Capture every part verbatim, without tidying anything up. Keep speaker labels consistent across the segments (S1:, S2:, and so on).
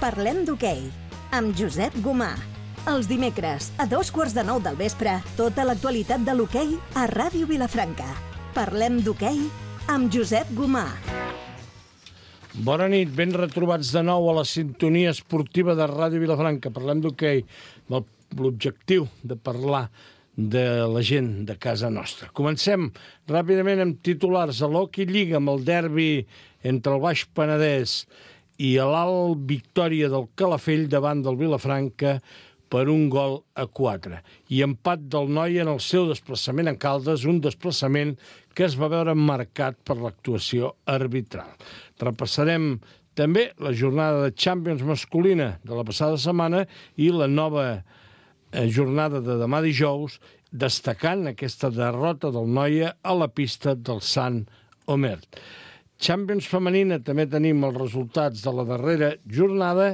S1: Parlem d'hoquei, amb Josep Gomà. Els dimecres, a dos quarts de nou del vespre, tota l'actualitat de l'hoquei a Ràdio Vilafranca. Parlem d'hoquei amb Josep Gomà.
S2: Bona nit, ben retrobats de nou a la sintonia esportiva de Ràdio Vilafranca. Parlem d'hoquei, amb l'objectiu de parlar de la gent de casa nostra. Comencem ràpidament amb titulars a l'Hockey Lliga, amb el derbi entre el Baix Penedès i l'Alt Victòria del Calafell davant del Vilafranca per un gol a quatre. I empat del Noia en el seu desplaçament a Caldes, un desplaçament que es va veure marcat per l'actuació arbitral. Repassarem també la jornada de Champions masculina de la passada setmana i la nova jornada de demà dijous, destacant aquesta derrota del Noia a la pista del Sant Omer. Champions femenina també tenim els resultats de la darrera jornada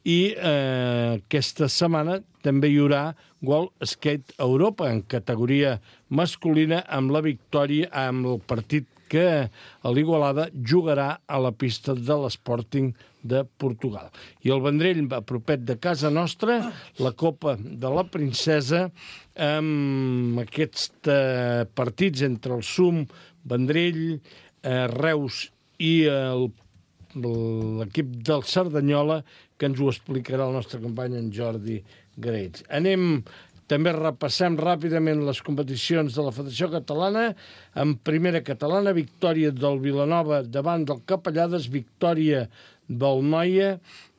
S2: i eh, aquesta setmana també hi haurà World Skate Europa en categoria masculina amb la victòria, amb el partit que l'Igualada jugarà a la pista de l'Sporting de Portugal. I el Vendrell, a propet de casa nostra, la Copa de la Princesa, amb aquests eh, partits entre el Sum, Vendrell, eh, Reus i el, l'equip del Cerdanyola, que ens ho explicarà el nostre company en Jordi Graells. Anem, també repassem ràpidament les competicions de la Federació Catalana. En primera catalana, victòria del Vilanova davant del Capellades, victòria del Noia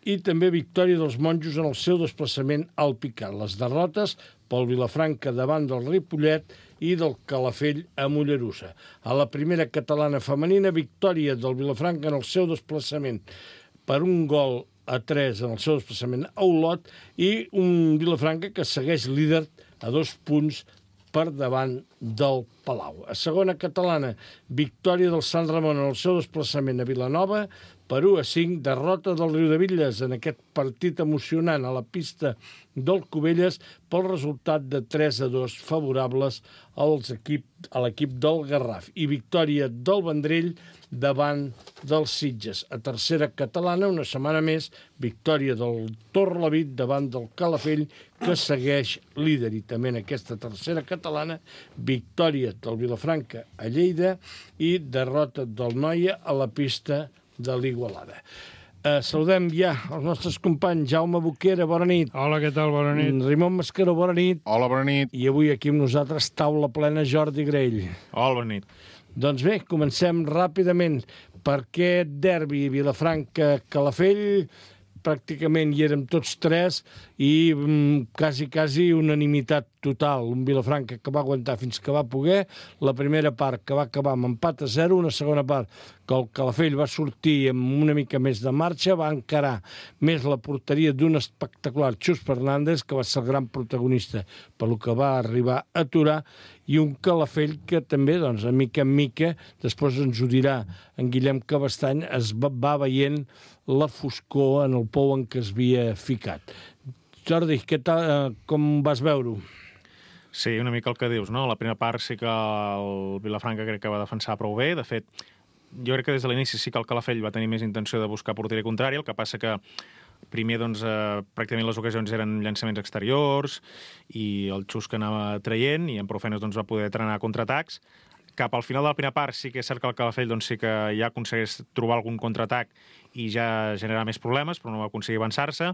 S2: i també victòria dels monjos en el seu desplaçament al Picat. Les derrotes pel Vilafranca davant del Ripollet i del Calafell a Mollerussa. A la primera catalana femenina, victòria del Vilafranca en el seu desplaçament per un gol a tres en el seu desplaçament a Olot i un Vilafranca que segueix líder a dos punts per davant del Palau. A segona catalana, victòria del Sant Ramon en el seu desplaçament a Vilanova per u a cinc, derrota del Riudebitlles en aquest partit emocionant a la pista del Cubelles pel resultat de tres a dos favorables als equip, a l'equip del Garraf i victòria del Vendrell davant dels Sitges. A tercera catalana, una setmana més, victòria del Torlavit davant del Calafell, que segueix líder. I també en aquesta tercera catalana, victòria del Vilafranca a Lleida i derrota del Noia a la pista de l'Igualada. Uh, saludem ja els nostres companys. Jaume Boquera, bona nit.
S3: Hola, què tal? Bona nit.
S2: Raimon Mascaró, bona nit.
S4: Hola, bona nit.
S2: I avui aquí amb nosaltres, taula plena, Jordi Graell.
S3: Hola, bona nit. Doncs
S2: bé, comencem ràpidament per aquest derbi Vilafranca-Calafell. Pràcticament hi érem tots tres i mm, quasi, quasi unanimitat total. Un Vilafranca que va aguantar fins que va poder. La primera part que va acabar amb empat a zero, una segona part que el Calafell va sortir amb una mica més de marxa, va encarar més la porteria d'un espectacular Xus Fernández, que va ser el gran protagonista pel que va arribar a aturar, i un Calafell que també, doncs, a mica en mica, després ens ho dirà en Guillem Cabestany, es va, va veient la foscor en el pou en què es havia ficat. Jordi, què tal, com vas veure-ho?
S3: Sí, una mica el que dius, no? La primera part sí que el Vilafranca crec que va defensar prou bé. De fet, jo crec que des de l'inici sí que el Calafell va tenir més intenció de buscar porteria contrària, el que passa que primer, doncs, eh, pràcticament les ocasions eren llançaments exteriors i el xus que anava traient i en prou feines doncs, va poder trenar contraatacs. Cap al final de la primera part sí que és cert que el Calafell doncs, sí que ja aconsegueix trobar algun contraatac i ja generar més problemes, però no va aconseguir avançar-se.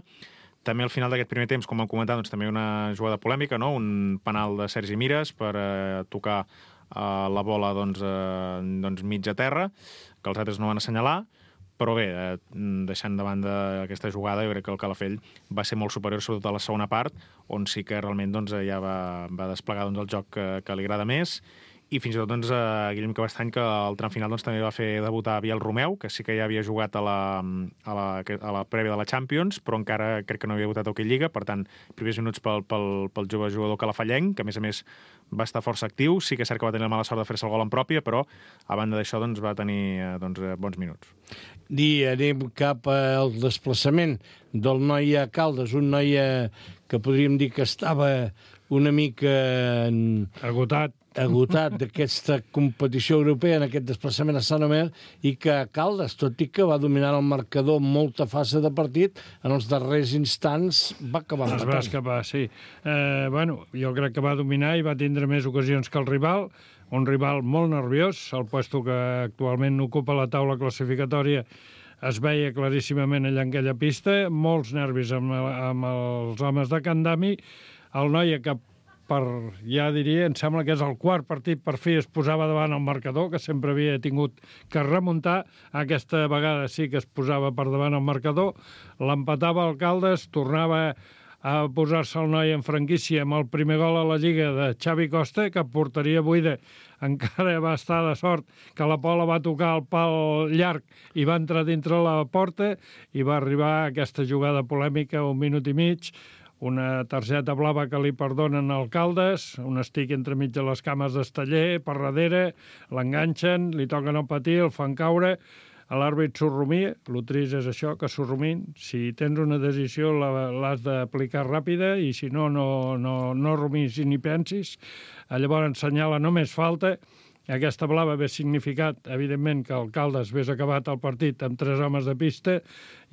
S3: També al final d'aquest primer temps, com vam comentar, doncs, també una jugada polèmica, no? Un penal de Sergi Mires per eh, tocar eh, la bola doncs, eh, doncs mig a terra, que els altres no van assenyalar. Però bé, eh, deixant de banda aquesta jugada, jo crec que el Calafell va ser molt superior, sobretot a la segona part, on sí que realment doncs, ja va, va desplegar doncs, el joc que, que li agrada més. I fins i tot doncs, a Guillem Cabestany, que al tram final doncs, també va fer debutar Biel Romeu, que sí que ja havia jugat a la, a la, a la prèvia de la Champions, però encara crec que no havia debutat a Hockey Lliga, per tant, primers minuts pel, pel, pel jove jugador calafellenc, que a més a més va estar força actiu. Sí que és cert que va tenir la mala sort de fer-se el gol en pròpia, però a banda d'això doncs, va tenir doncs, bons minuts.
S2: I anem cap al desplaçament del Noia a Caldes, un Noia que podríem dir que estava una mica...
S4: Agotat.
S2: agotat d'aquesta competició europea en aquest desplaçament a Sant Omer i que Caldes, tot i que va dominar el marcador molta fase de partit, en els darrers instants va acabar
S4: Es
S2: empatant.
S4: va escapar, sí. Eh, bueno, jo crec que va dominar i va tindre més ocasions que el rival, un rival molt nerviós, el puesto que actualment ocupa la taula classificatòria es veia claríssimament allà en aquella pista, molts nervis amb, amb els homes de Can Dami, el Noia que per, ja diria, em sembla que és el quart partit per fi es posava davant el marcador, que sempre havia tingut que remuntar, aquesta vegada sí que es posava per davant el marcador, l'empatava el Caldes, tornava a posar-se el Noia en franquícia amb el primer gol a la Lliga de Xavi Costa, que porteria buida encara va estar de sort que la Pola va tocar el pal llarg i va entrar dintre la porta i va arribar aquesta jugada polèmica un minut i mig, una targeta blava que li perdonen al Caldes, un estic entremig de les cames d'Esteller, per darrere, l'enganxen, li toquen el patí, el fan caure, l'àrbit s'orrumia, el trist és això, que s'orrumin, si tens una decisió l'has d'aplicar ràpida i si no, no, no, no rumis ni pensis, llavors assenyala només falta. Aquesta blava hagués significat, evidentment, que el Caldes hagués acabat el partit amb tres homes de pista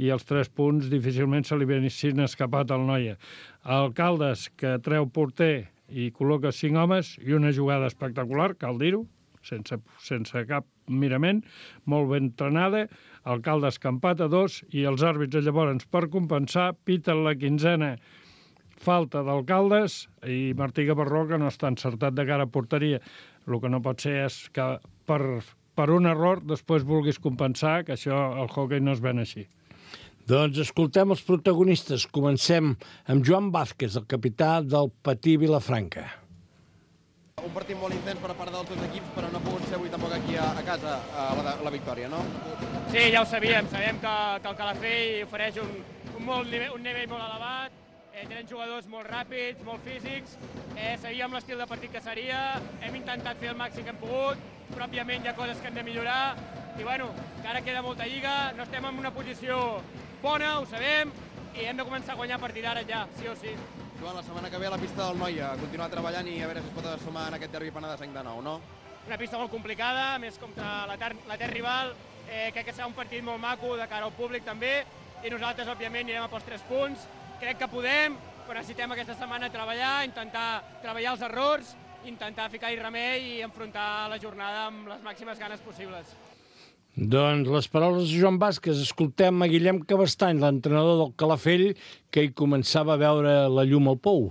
S4: i els tres punts difícilment se li haguessin escapat al Noia. El Caldes, que treu porter i col·loca cinc homes i una jugada espectacular, cal dir-ho, sense, sense cap mirament, molt ben entrenada, el Caldes que empata dos i els àrbits llavors, per compensar, piten la quinzena falta del Caldes i Martí Gavarró, que no està encertat de cara a porteria. El que no pot ser és que per, per un error després vulguis compensar, que això el hoquei no es ven així.
S2: Doncs escoltem els protagonistes. Comencem amb Joan Vázquez, el capità del Patí Vilafranca.
S5: Un partit molt intens per part dels dos equips, però no ha pogut ser avui tampoc aquí a, a casa a la, la victòria, no?
S6: Sí, ja ho sabíem. Sabem que, que el Calafell ofereix un, un, molt nivell, un nivell molt elevat, eh, tenen jugadors molt ràpids, molt físics, eh, sabíem l'estil de partit que seria, hem intentat fer el màxim que hem pogut, però òbviament hi ha coses que hem de millorar, i bueno, que ara queda molta lliga, no estem en una posició bona, ho sabem, i hem de començar a guanyar a partir d'ara ja, sí o sí.
S5: Joan, la setmana que ve a la pista del Noia, continuar treballant i a veure si es pot sumar en aquest derbi penedesenc de nou, no?
S6: Una pista molt complicada, més contra l'etern rival, eh, crec que serà un partit molt maco de cara al públic també, i nosaltres, òbviament, anirem a pels tres punts. Crec que podem, però necessitem aquesta setmana treballar, intentar treballar els errors, intentar ficar-hi remei i enfrontar la jornada amb les màximes ganes possibles.
S2: Doncs les paraules de Joan Vázquez. Escoltem a Guillem Cabestany, l'entrenador del Calafell, que hi començava a veure la llum al pou.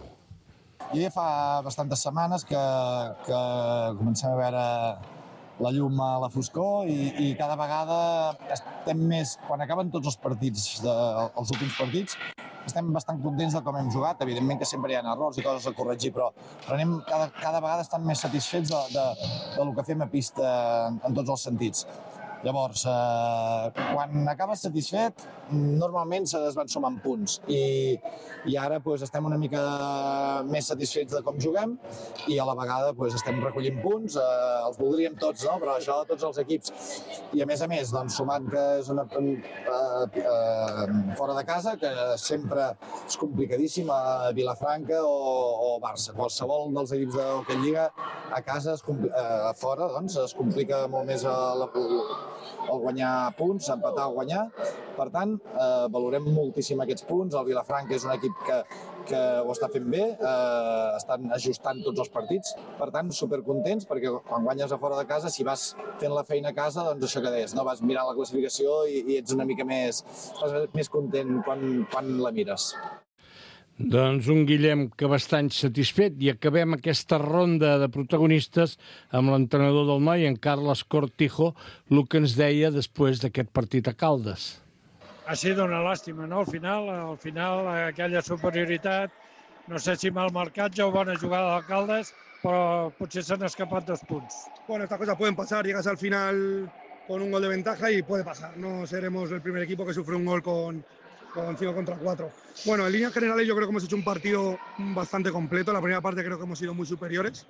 S7: I fa bastantes setmanes que, que comencem a veure la llum a la foscor i, i cada vegada estem més, quan acaben tots els partits, de, els últims partits, estem bastant contents de com hem jugat. Evidentment que sempre hi ha errors i coses a corregir, però, però anem cada, cada vegada estan més satisfets de, de, de lo que fem a pista en, en tots els sentits. Llavors, eh, quan acabes satisfet, normalment es van sumant punts i, i ara pues, estem una mica més satisfets de com juguem i a la vegada pues, estem recollint punts, eh, els voldríem tots, no? Però això tots els equips. I a més a més, doncs, sumant que és una, eh, eh, fora de casa, que sempre és complicadíssim a Vilafranca o, o Barça. Qualsevol dels equips de l'Hockey Lliga a casa, es, eh, fora, doncs, es complica molt més a la, el guanyar punts, empatar o guanyar. Per tant, eh, valorem moltíssim aquests punts. El Vilafranca és un equip que, que ho està fent bé, eh, estan ajustant tots els partits. Per tant, supercontents, perquè quan guanyes a fora de casa, si vas fent la feina a casa, doncs això que deies, no? Vas mirant la classificació i, i ets una mica més, estàs més content quan, quan la mires.
S2: Doncs un Guillem Cabestany satisfet i acabem aquesta ronda de protagonistes amb l'entrenador del Noi, en Carles Cortijo, el que ens deia després d'aquest partit a Caldes.
S4: Ha sido una lástima, ¿no? Al final, al final aquella superioritat, no sé si mal marcatge o bona jugada del Caldes, però potser s'han escapat dos punts.
S8: Bueno, estas cosas pueden pasar, llegas al final con un gol de ventaja y puede pasar. No seremos el primer equipo que sufre un gol con con cinco contra cuatro. Bueno, en líneas generales yo creo que hemos hecho un partido bastante completo. La primera parte creo que hemos sido muy superiores.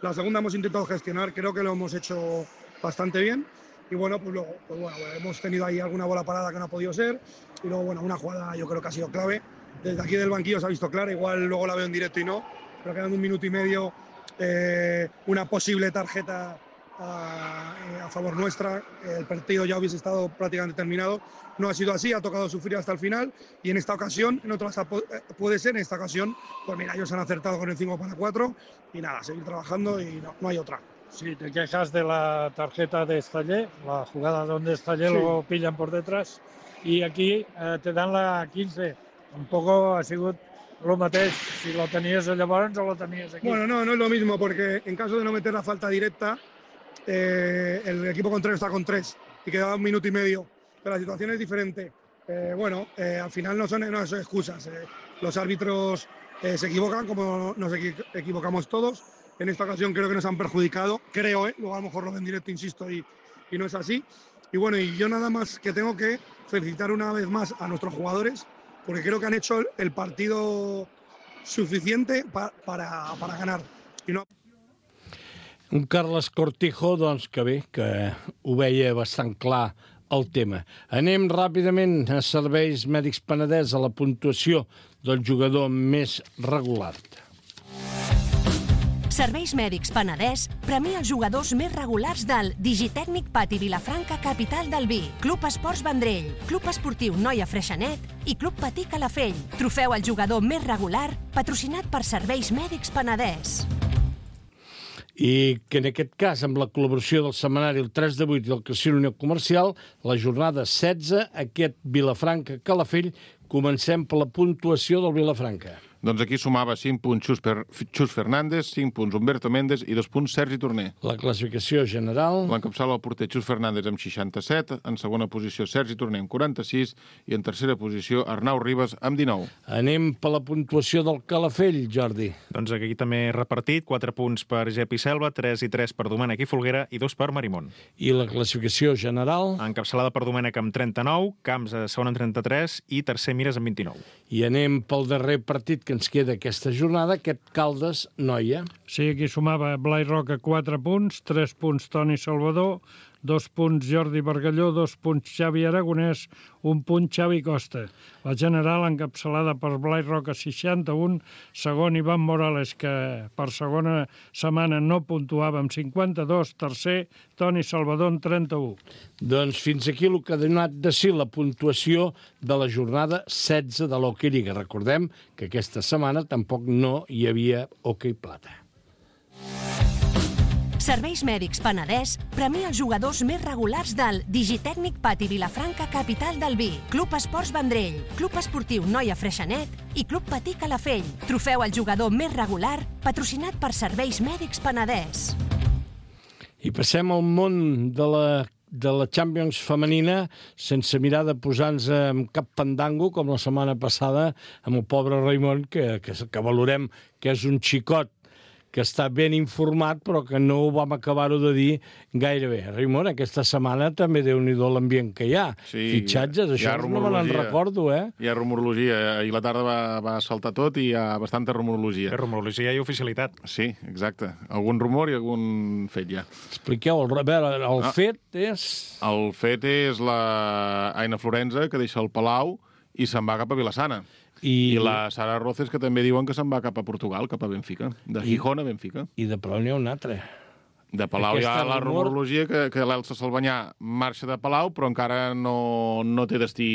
S8: La segunda hemos intentado gestionar, creo que lo hemos hecho bastante bien. Y bueno, pues luego pues bueno, hemos tenido ahí alguna bola parada que no ha podido ser. Y luego, bueno, una jugada yo creo que ha sido clave. Desde aquí del banquillo se ha visto clara, igual luego la veo en directo y no. Pero quedando un minuto y medio eh, una posible tarjeta a, a favor nuestra. El partido ya hubiese estado prácticamente terminado. No ha sido así, ha tocado sufrir hasta el final y en esta ocasión, en otras puede ser, en esta ocasión, pues mira, ellos han acertado con el cinco para cuatro y nada, seguir trabajando y no, no hay otra.
S4: Sí, te quejas de la tarjeta de Estaller, la jugada donde Estaller sí. Lo pillan por detrás y aquí eh, te dan la quince. Un poco ha sigut el mateix, si lo tenies llavors o lo tenies aquí.
S8: Bueno, no, no es lo mismo porque en caso de no meter la falta directa, eh, el equipo contrario está con tres y quedaba un minuto y medio. Pero la situación es diferente. Eh, bueno, eh, al final no son, no son excusas. Eh, los árbitros eh, se equivocan como nos equi equivocamos todos. En esta ocasión creo que nos han perjudicado, creo, ¿eh? Luego a lo mejor lo ven en directo, insisto, y, y no es así. Y bueno, y yo nada más que tengo que felicitar una vez más a nuestros jugadores, porque creo que han hecho el partido suficiente pa para, para ganar. I no...
S2: Un Carles Cortijo, doncs, que bé, que ho veia bastant clar el tema. Anem ràpidament a Serveis Mèdics Penedès, a la puntuació del jugador més regular.
S9: Serveis Mèdics Penedès premia els jugadors més regulars del Digitècnic Pati Vilafranca, capital del vi, Club Esports Vendrell, Club Esportiu Noia Freixenet i Club Patí Calafell. Trofeu al jugador més regular, patrocinat per Serveis Mèdics Penedès.
S2: I que en aquest cas, amb la col·laboració del setmanari El tres de vuit i del Casino Unió Comercial, la jornada setze, aquest Vilafranca-Calafell, comencem per la puntuació del Vilafranca.
S10: Doncs aquí sumava cinc punts Xus, per, Xus Fernández, cinc punts Humberto Méndez i dos punts Sergi Torner.
S2: La classificació general...
S10: L'encapçala el porter Xus Fernández amb seixanta-set, en segona posició Sergi Torner amb quaranta-sis i en tercera posició Arnau Ribas amb dinou.
S2: Anem per la puntuació del Calafell, Jordi.
S3: Doncs aquí també repartit, quatre punts per Gepi Selva, tres i tres per Domènec i Folguera i dos per Marimón.
S2: I la classificació general...
S3: Encapçalada per Domènec amb trenta-nou, Camps a segona amb trenta-tres i tercer Mires amb vint-i-nou.
S2: I anem pel darrer partit que ens queda aquesta jornada, aquest Caldes-Noia.
S4: Sí, aquí sumava Blai Roca quatre punts, tres punts Toni Salvador, dos punts Jordi Bargalló, dos punts Xavi Aragonès, un punt Xavi Costa. La general encapçalada per Blai Roca seixanta-un, segon Ivan Morales, que per segona setmana no puntuava amb cinquanta-dos, tercer Toni Salvador amb trenta-u.
S2: Doncs fins aquí el que ha donat de si la puntuació de la jornada setze de l'Hockey Lliga. Recordem que aquesta setmana tampoc no hi havia Hockey Plata.
S9: Serveis Mèdics Penedès premia els jugadors més regulars del Digitècnic Pati Vilafranca, capital del vi, Club Esports Vendrell, Club Esportiu Noia Freixenet i Club Patí Calafell. Trofeu al jugador més regular, patrocinat per Serveis Mèdics Penedès.
S2: I passem al món de la de la Champions femenina sense mirar de posar-nos en cap fandango com la setmana passada amb el pobre Raimon, que, que, que valorem que és un xicot que està ben informat, però que no ho vam acabar-ho de dir gaire bé. Raimon, aquesta setmana també Déu-n'hi-do l'ambient que hi ha.
S10: Sí,
S2: fitxatges, això no me n'en recordo, eh?
S10: Hi ha rumorologia. Ahir la tarda va, va saltar tot i hi ha bastanta rumorologia.
S3: Hi ha rumorologia i oficialitat.
S10: Sí, exacte. Algun rumor i algun fet ja.
S2: Expliqueu, el, a veure, el ah, fet és...
S10: El fet és la Aina Florenza, que deixa el Palau i se'n va cap a Vilassana. I... I la Sara Roces, que també diuen que se'n va cap a Portugal, cap a Benfica. De Gijón a Benfica.
S2: I de Palau n'hi ha un altre.
S10: De Palau hi ha la rumorologia que, que l'Elsa Salvanyà marxa de Palau, però encara no, no té destí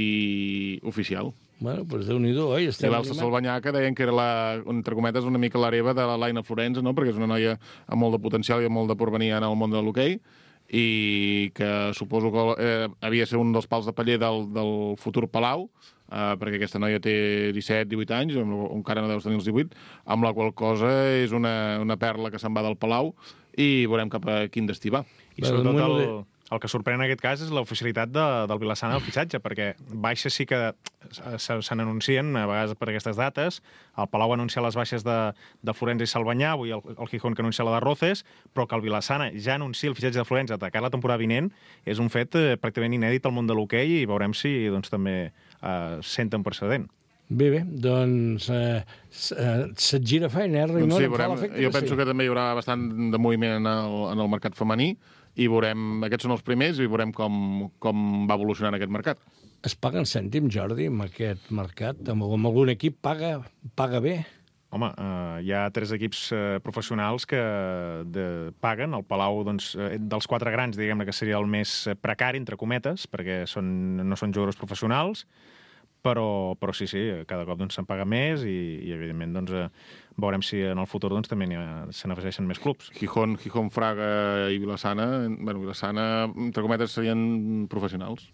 S10: oficial.
S2: Bueno, doncs Déu-n'hi-do, eh?
S10: I l'Elsa Salvanyà, que deien que era, la, entre cometes, una mica l'hereva de la Laina Florenza, no? Perquè és una noia amb molt de potencial i amb molt de porvenir en el món de l'hoquei, i que suposo que eh, havia de ser un dels pals de paller del, del futur Palau, Uh, perquè aquesta noia té disset divuit anys, encara no deus tenir els divuit, amb la qual cosa és una, una perla que se'n va del Palau i veurem cap a quin destí va.
S3: I sobretot el, el que sorprèn en aquest cas és l'oficialitat de, del Vilassana del fitxatge, perquè baixes sí que se, se n'anuncien a vegades per aquestes dates. El Palau ha anunciat les baixes de, de Florenza i Salvanyà, avui el, el Gijón que anuncia la de Roces, però que el Vilassana ja anuncia el fitxatge de Florenza de cara a la temporada vinent és un fet eh, pràcticament inèdit al món de l'hoquei i veurem si doncs, també Uh, senten precedent.
S2: Bé, bé, doncs uh, se't gira feina, eh, Raimon?
S10: Doncs sí, veurem. Jo penso sí. que també hi haurà bastant de moviment en el, en el mercat femení i veurem, aquests són els primers i veurem com, com va evolucionant aquest mercat.
S2: Es paguen cèntims, Jordi, amb aquest mercat? Amb, amb algun equip paga, paga bé?
S3: Home, eh, hi ha tres equips eh, professionals que de, paguen. El Palau, doncs, eh, dels quatre grans, diguem-ne que seria el més precari, entre cometes, perquè són, no són jugadors professionals, però, però sí, sí, cada cop doncs, se'n paga més i, i evidentment, doncs, eh, veurem si en el futur doncs, també ha, se n'afegeixen més clubs.
S10: Gijón, Gijón, Fraga i Vilassana, bueno, Vilassana, entre cometes, serien professionals.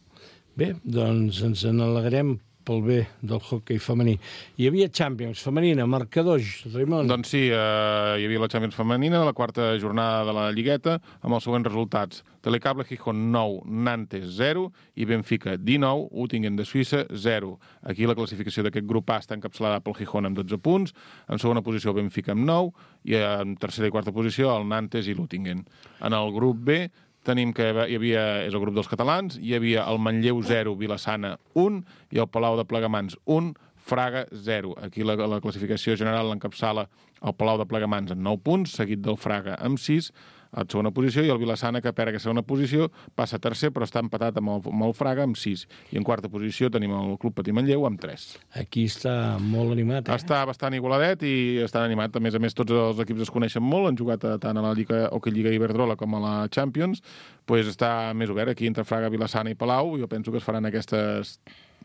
S2: Bé, doncs ens n'alegrem pel bé del hoquei femení. Hi havia Champions femenina, marcadors, Raimon.
S10: Doncs sí, eh, hi havia la Champions femenina, la quarta jornada de la Lligueta, amb els següents resultats. Telecable Gijón nou, Nantes zero i Benfica dinou, Uttingen de Suïssa zero. Aquí la classificació d'aquest grup A està encapçalada pel Gijón amb dotze punts, en segona posició Benfica amb nou i en tercera i quarta posició el Nantes i l'Uttingen. En el grup B tenim que hi havia, és el grup dels catalans, hi havia el Manlleu zero, Vilassana un i el Palau de Plegamans un, Fraga zero. Aquí la, la classificació general l'encapçala el Palau de Plegamans amb nou punts, seguit del Fraga amb sis, a segona posició, i el Vilassana, que perd aquesta segona posició, passa a tercer, però està empatat amb el, amb el Fraga amb sis. I en quarta posició tenim el Club Patí Manlleu amb tres.
S2: Aquí està molt animat, eh?
S10: Està bastant igualadet i estan animat. A més a més, tots els equips es coneixen molt, han jugat tant a la Lliga Hockey Lliga Iberdrola com a la Champions. Pues està més obert aquí entre Fraga, Vilassana i Palau. Jo penso que es faran aquestes,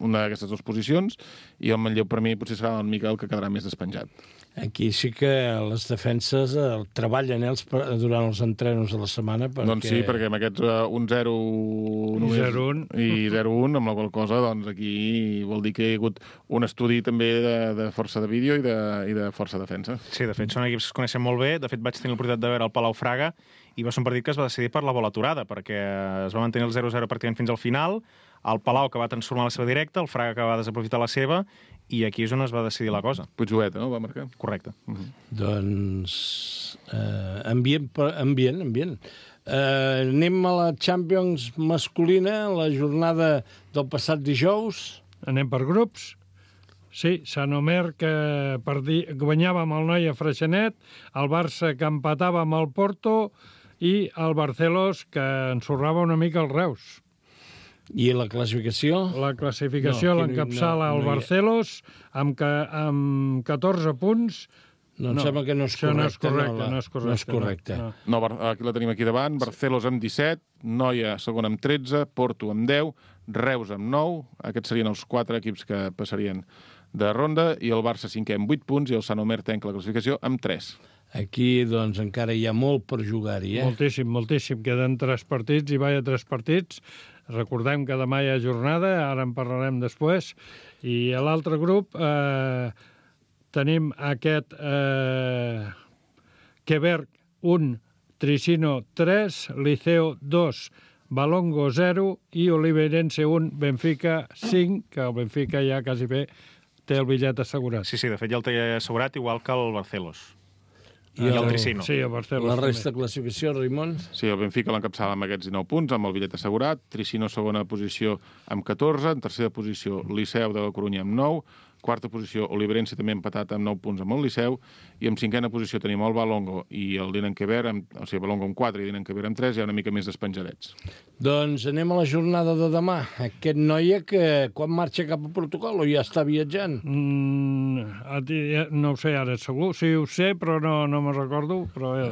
S10: una d'aquestes dues posicions, i el Manlleu per mi potser serà el Miquel que quedarà més despenjat.
S2: Aquí sí que les defenses eh, treballen eh, els, durant els entrenos de la setmana. Perquè...
S10: Doncs sí, perquè amb aquests uh, un zero i zero un, amb la qual cosa, doncs aquí vol dir que hi ha hagut un estudi també de, de força de vídeo i de, i de força defensa.
S3: Sí, de fet, són equips que es coneixen molt bé. De fet, vaig tenir l'oportunitat de veure el Palau Fraga i va ser un partit que es va decidir per la bola aturada, perquè es va mantenir el zero zero pràcticament fins al final, el Palau que va transformar la seva directa, el Fraga que va desaprofitar la seva, i aquí és on es va decidir la cosa.
S10: Puigjueta, no?, va marcar.
S3: Correcte.
S10: Uh-huh.
S2: Doncs eh, ambient, ambient, ambient. Eh, anem a la Champions masculina, la jornada del passat dijous.
S4: Anem per grups. Sí, Sant Omer, que perdi... guanyava amb el Noia Freixenet, el Barça que empatava amb el Porto i el Barcelos que ensorrava una mica el Reus.
S2: I la classificació?
S4: La classificació no, l'encapçala no, no el Barcelos amb, que, amb catorze punts.
S2: No, em no, sembla que no és correcte.
S4: No és correcte,
S2: no, la,
S4: no és correcte.
S2: No és correcte.
S4: No,
S10: no. no, aquí la tenim aquí davant. Barcelos amb disset, Noia segon amb tretze, Porto amb deu, Reus amb nou. Aquests serien els quatre equips que passarien de ronda, i el Barça cinquè amb vuit punts i el Sant Omer tanca la classificació amb tres.
S2: Aquí, doncs, encara hi ha molt per jugar-hi, eh?
S4: Moltíssim, moltíssim. Queden tres partits i vaja tres partits. Recordem que demà hi ha jornada, ara en parlarem després. I a l'altre grup eh, tenim aquest eh, Quebec un, Tricino tres, Liceo dos, Balongo zero i Oliveirense un, Benfica cinc, que el Benfica ja quasi bé té el bitllet assegurat.
S3: Sí, sí, de fet ja el té assegurat, igual que el Barcelos.
S2: I el,
S3: el Tricino.
S4: Sí, el Barcelos.
S2: La resta de classificació, Raimon?
S10: Sí, el Benfica l'encapçala amb aquests dinou punts, amb el bitllet assegurat. Tricino segona posició amb catorze, en tercera posició Liceu de la Corunya amb nou, quarta posició Oliveirense també empatat amb nou punts amb el Liceu, i en cinquena posició tenim el Balongo i el Dinenkever, o sigui, Balongo amb quatre i Dinenkever amb tres, ja una mica més despenjadets.
S2: Doncs anem a la jornada de demà. Aquest noia que quan marxa cap a Portugal o ja està viatjant?
S4: Mm, no ho sé ara segur, sí ho sé, però no, no me'n recordo, però eh,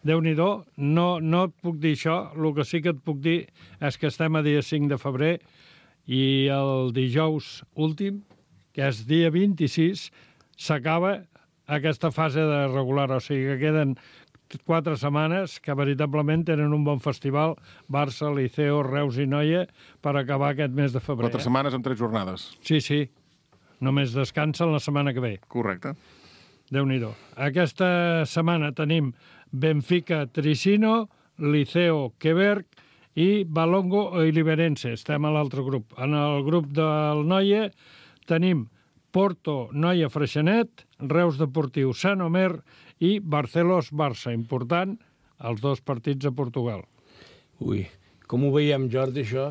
S4: Déu-n'hi-do, no, no et puc dir això, el que sí que et puc dir és que estem a dia cinc de febrer i el dijous últim, que és dia vint-i-sis, s'acaba aquesta fase de regular, o sigui que queden quatre setmanes que veritablement tenen un bon festival, Barça, Liceo, Reus i Noia, per acabar aquest mes de febrer.
S10: Quatre setmanes amb tres jornades.
S4: Sí, sí. Només descansen la setmana que ve.
S10: Correcte.
S4: Déu-n'hi-do. Aquesta setmana tenim Benfica, Tricino, Liceo, Quebec i Balongo i Oliveirense. Estem a l'altre grup. En el grup del Noia tenim Porto, Noia Freixenet, Reus Deportiu, Sant Omer i Barcelos Barça. Important, els dos partits a Portugal.
S2: Ui, com ho veiem, Jordi, això?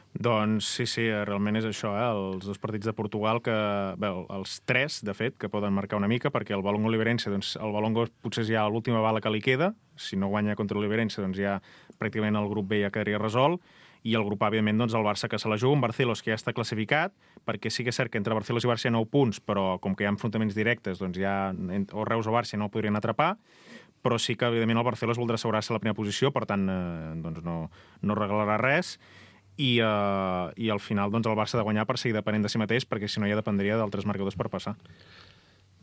S3: Doncs sí, sí, realment és això, eh? Els dos partits de Portugal, que, bé, els tres, de fet, que poden marcar una mica, perquè el Balongo Oliveirense, doncs el Balongo potser és ja l'última bala que li queda, si no guanya contra l'Oliveirense, doncs ja pràcticament el grup B ja quedaria resolt, i el grup A, evidentment, doncs, el Barça que se la juga, un Barcelos que ja està classificat, perquè sí que és cert que entre Barcelos i Barça hi ha nou punts, però com que hi ha enfrontaments directes, doncs ja o Reus o Barça no el podrien atrapar, però sí que, evidentment, el Barcelos voldrà assegurar-se la primera posició, per tant, eh, doncs no, no regalarà res, i, eh, i al final doncs, el Barça ha de guanyar per seguir depenent de si mateix, perquè si no ja dependria d'altres marcadors per passar.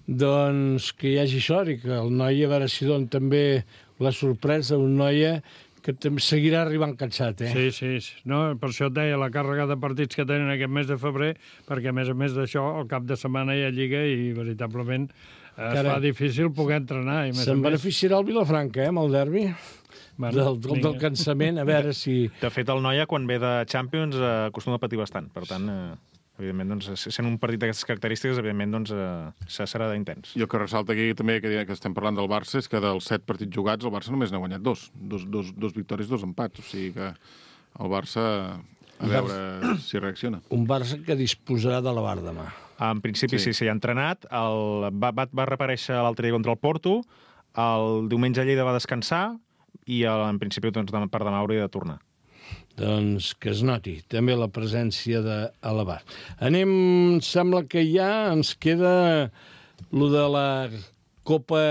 S2: Doncs que hi hagi sort i que el Noia, a veure si don també la sorpresa, un Noia que també seguirà arribant cansat, eh?
S4: Sí, sí, sí. No, per això et deia la càrrega de partits que tenen aquest mes de febrer, perquè a més a més d'això, al cap de setmana hi ha Lliga i veritablement es
S2: Cara,
S4: fa difícil poder entrenar.
S2: Se'n beneficiarà el Vilafranca, eh, amb el derbi, bueno, del, del, del cansament, a veure si...
S3: De fet, el Noia, quan ve de Champions, eh, acostuma a patir bastant, per tant... Eh... evidentment, doncs, sent un partit d'aquestes característiques, evidentment, doncs, eh, serà d'intens.
S10: I el que ressalta aquí també, que, que estem parlant del Barça, és que dels set partits jugats, el Barça només n'ha guanyat dos. Dos, dos, dos victòries, dos empats. O sigui que el Barça, a veure si reacciona.
S2: Un Barça que disposarà de la bar demà.
S3: En principi, sí, sí, s'hi ha entrenat. El, va, va, va reaparèixer l'altre dia contra el Porto, el diumenge a Lleida va descansar i el, en principi, doncs, per demà hauria de tornar.
S2: Doncs que es noti també la presència de Alabar. Anem, sembla que ja ens queda lo de la Copa,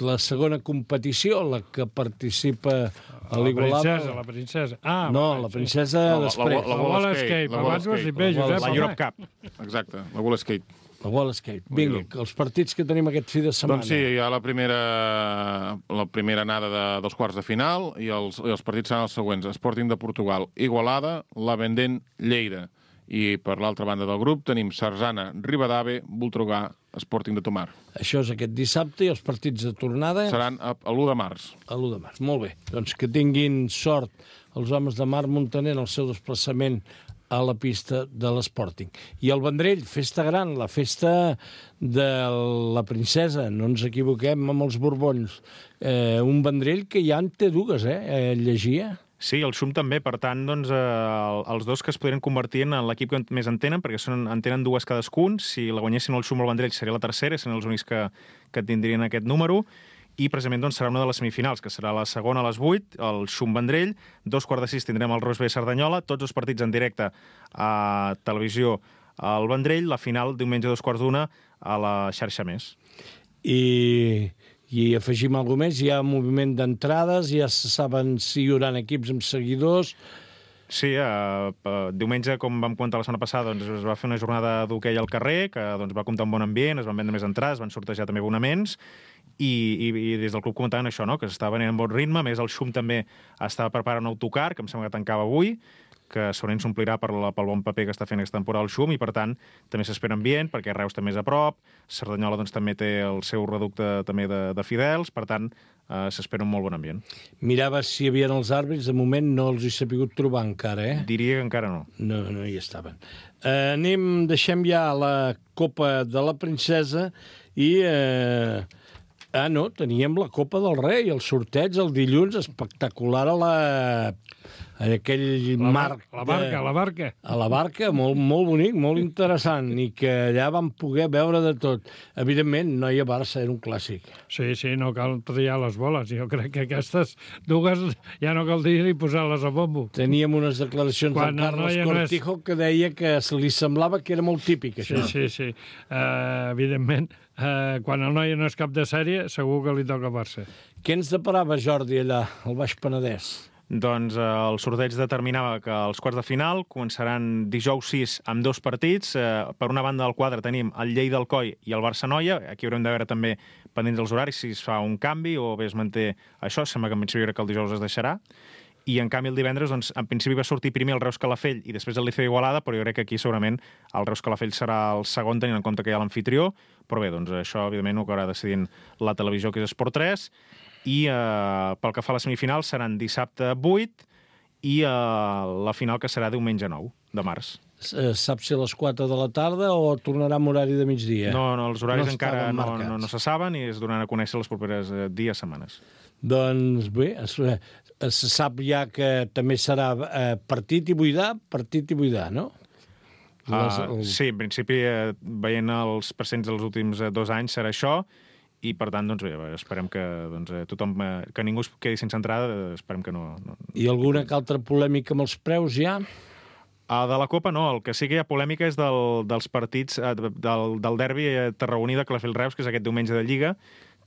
S2: la segona competició, la que participa a l'Igualada.
S4: La princesa, la princesa. Ah,
S2: no, la princesa
S10: sí.
S2: després.
S10: La, la, la, la Wall Escape.
S4: Abans ho has dit bé, Josep.
S3: La Europe Cup.
S10: Exacte, la Wall Escape.
S2: La Wall Escape. Vinga, els partits que tenim aquest fi de setmana.
S10: Doncs sí, hi ha la primera, la primera anada de, dels quarts de final i els, i els partits seran els següents. Sporting de Portugal, Igualada, la Vendent, Lleida. I per l'altra banda del grup tenim Sarzana, Ribadave, Voltregà, Sporting de Tomar.
S2: Això és aquest dissabte i els partits de tornada...
S10: Seran a, a l'u de març.
S2: A l'u de març, molt bé. Doncs que tinguin sort els homes de Marc Montaner en el seu desplaçament a la pista de l'Sporting. I el Vendrell, festa gran, la festa de la princesa, no ens equivoquem amb els borbons. Eh, un Vendrell que ja en té dues, eh? eh llegia.
S3: Sí, el Xum també, per tant, doncs, eh, els dos que es podrien convertir en l'equip que més en tenen, perquè són, en tenen dues cadascun. Si la guanyessin el Xum o el Vendrell seria la tercera, serien els únics que, que tindrien aquest número. I precisament doncs, serà una de les semifinals, que serà la segona a les vuit, el Xum-Vendrell, dos quarts de sis tindrem el Reus B Cerdanyola, tots els partits en directe a televisió al Vendrell, la final diumenge a dos quarts d'una a la xarxa Més.
S2: I, i afegim alguna més, hi ha moviment d'entrades, ja se saben si hi haurà equips amb seguidors...
S3: Sí, eh, diumenge, com vam comentar la setmana passada, doncs, es va fer una jornada d'hoquei al carrer, que doncs, va comptar un bon ambient, es van vendre més entrades, es van sortejar també abonaments, i, i, i des del club comentaven això, no? Que s'estava venint en bon ritme, a més el Xum també estava preparant un autocar, que em sembla que tancava avui, que segurament s'omplirà per la, pel bon paper que està fent aquesta temporada el Xum, i per tant també s'espera ambient, perquè Reus també és a prop, Cerdanyola doncs, també té el seu reducte també de, de fidels, per tant eh, s'espera un molt bon ambient.
S2: Mirava si hi havia els àrbitres, de moment no els he sabut trobar encara, eh?
S3: Diria que encara no.
S2: No, no hi estaven. Eh, anem, deixem ja la Copa de la Princesa i... Eh... Ah, no, teníem la Copa del Rei, el sorteig el dilluns, espectacular a la... a aquell
S4: la
S2: marc...
S4: La barca,
S2: de...
S4: la barca.
S2: A la barca, molt, molt bonic, molt interessant, i que allà vam poder veure de tot. Evidentment, Noia-Barça era un clàssic.
S4: Sí, sí, no cal triar les boles. Jo crec que aquestes dues ja no cal dir-hi posar-les a bombo.
S2: Teníem unes declaracions
S4: Quan
S2: del Carlos
S4: no
S2: Cortijo és... que deia que li semblava que era molt típic, això.
S4: Sí, sí, sí. Uh, evidentment, uh, quan el Noia no és cap de sèrie, segur que li toca Barça.
S2: Què ens deparava, Jordi, allà, al Baix Penedès?
S3: Doncs eh, el sorteig determinava que els quarts de final començaran dijous sis amb dos partits. Eh, per una banda del quadre tenim el Lleida-Alcoi i el Barça-Noia. Aquí haurem de veure també, pendents dels horaris, si es fa un canvi o bé es manté això. Sembla que en principi que el dijous es deixarà. I en canvi el divendres, doncs, en principi va sortir primer el Reus Calafell i després el Liceu Igualada, però jo crec que aquí segurament el Reus Calafell serà el segon, tenint en compte que hi ha l'anfitrió. Però bé, doncs això evidentment ho acabarà decidint la televisió, que és Esport tres. I eh, pel que fa a la semifinal seran dissabte vuit i eh, la final que serà diumenge nou de març.
S2: Saps si a les quatre de la tarda o tornarà amb horari de migdia?
S3: No, no, els horaris
S2: no
S3: encara no, no, no se saben i es donaran a conèixer les properes eh, dies, setmanes.
S2: Doncs bé, es, es sap ja que també serà eh, partit i buidar, partit i buidar, no? Les,
S3: uh, el... Sí, en principi, eh, veient els presents dels últims eh, dos anys serà això, i per tant, doncs bé, esperem que doncs, tothom, que ningú es quedi sense entrada, esperem que no... no...
S2: I alguna altra polèmica amb els preus ja?
S3: Uh, de la Copa no, el que sí que hi ha polèmica és del, dels partits, uh, del, del derbi tarragoní de Calafell-Reus, que és aquest diumenge de Lliga,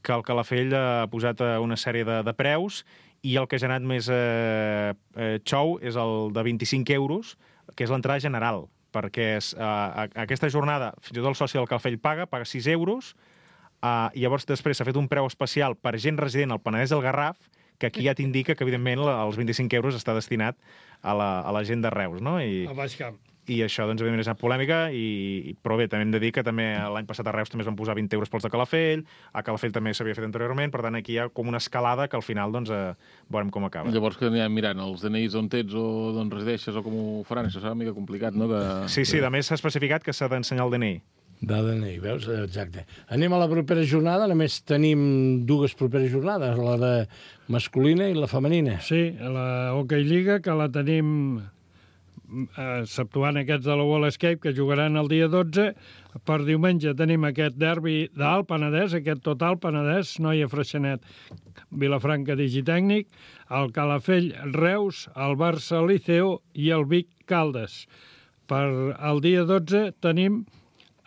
S3: que el Calafell ha posat una sèrie de, de preus, i el que ha generat més eh, eh, xou és el de vint-i-cinc euros, que és l'entrada general, perquè és, uh, aquesta jornada, fins i tot el soci del Calafell paga, paga sis euros, Uh, i llavors després s'ha fet un preu especial per gent resident al Penedès del Garraf, que aquí ja t'indica que, evidentment, els vint-i-cinc euros està destinat a la, a la gent de Reus, no? I,
S4: a Baix Camp.
S3: I això, doncs, evidentment, és una polèmica, i, però bé, també hem de dir que també l'any passat a Reus també es van posar vint euros pels de Calafell, a Calafell també s'havia fet anteriorment, per tant, aquí hi ha com una escalada que al final, doncs, eh, veurem com acaba.
S10: Llavors que anirem mirant els D N Is on ets o d'on resideixes o com ho faran, això serà una mica complicat, no? De...
S3: Sí, sí, a més s'ha especificat que s'ha d'ensenyar el D N I.
S2: De D N I, veus? Exacte. Anem a la propera jornada, només tenim dues properes jornades, la de masculina i la femenina.
S4: Sí, la Hockey Lliga, que la tenim exceptuant aquests de la Wall Escape, que jugaran el dia dotze. Per diumenge tenim aquest derbi d'Alt Penedès, aquest total Penedès, Noia Freixenet, Vilafranca Digitècnic, el Calafell Reus, el Barça Liceo i el Vic Caldes. Per el dia dotze tenim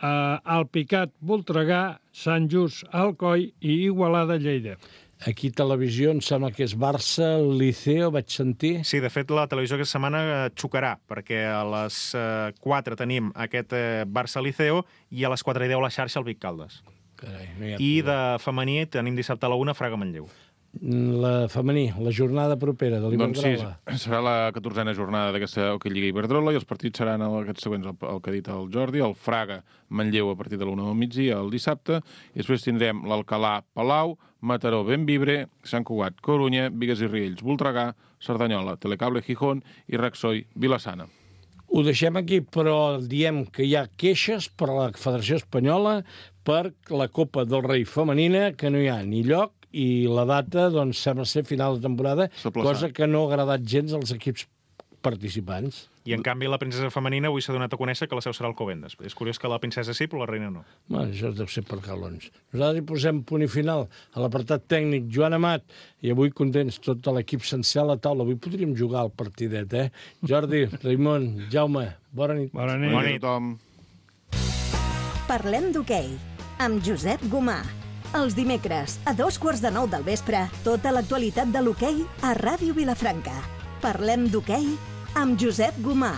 S4: Uh, Alpicat, Voltregà, Sant Just, Alcoi i Igualada, Lleida.
S2: Aquí televisió em sembla que és Barça, Liceo, vaig sentir.
S3: Sí, de fet, la televisió aquesta setmana xocarà, perquè a les uh, quatre tenim aquest uh, Barça-Liceo i a les quatre i deu la xarxa el Vic Caldes.
S2: Carai, no hi ha
S3: I de femení tenim dissabte a la una Fraga-Manlleu.
S2: La femení, la jornada propera de l'Iberdrola.
S10: Doncs sí, serà la catorzena jornada d'aquesta Hockey Lliga Iberdrola i els partits seran aquests següents, el, el que ha dit el Jordi, el Fraga-Manlleu a partir de l'una del migdia el dissabte, i després tindrem l'Alcalà-Palau, Mataró, Bembibre, Sant Cugat, Corunya, Bigues i Riells, Voltregà, Cerdanyola, Telecable, Gijón i Raxoi, Vilassana.
S2: Ho deixem aquí, però diem que hi ha queixes per a la Federació Espanyola per la Copa del Rei femenina, que no hi ha ni lloc, i la data, doncs, sembla ser final de temporada, cosa que no ha agradat gens als equips participants.
S3: I, en canvi, la princesa femenina avui s'ha donat a conèixer que la seu serà al Covendes. És curiós que la princesa sí, però la reina no.
S2: Bueno, això deu ser per calons. Nosaltres hi posem punt i final a l'apartat tècnic Joan Amat, i avui contents tot l'equip sencer a la taula. Avui podríem jugar al partidet, eh? Jordi, Raimon, Jaume, bona nit.
S4: Bona nit.
S10: Bona nit a tothom.
S1: Parlem d'hoquei amb Josep Gomà. Els dimecres, a dos quarts de nou del vespre, tota l'actualitat de l'hoquei a Ràdio Vilafranca. Parlem d'hoquei amb Josep Gomà.